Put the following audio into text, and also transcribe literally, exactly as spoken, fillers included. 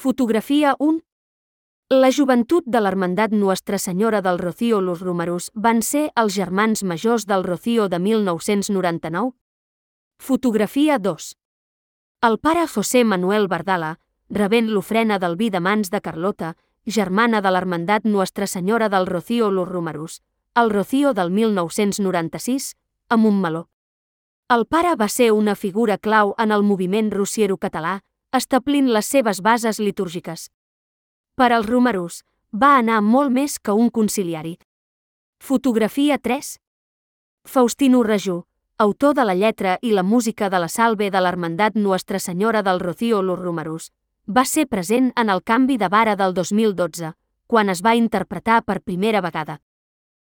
Fotografia un. La joventut de l'Hermandat Nuestra Senyora del Rocío Los Romerus van ser els germans majors del Rocío de mil nou-cents noranta-nou. Fotografia dos. El pare José Manuel Bardala, rebent l'ofrena del vi de mans de Carlota, germana de l'Hermandat Nuestra Senyora del Rocío Los Romerus, el Rocío del mil nou-cents noranta-sis, a Montmeló. El pare va ser una figura clau en el moviment rociero català, establint les seves bases litúrgiques. Per als Romerus, va anar molt més que un conciliari. Fotografia tres. Faustino Rajú, autor de la lletra i la música de la Salve de l'Hermandat Nuestra Senyora del Rocío Los Romerus, va ser present en el canvi de vara del dos mil dotze, quan es va interpretar per primera vegada.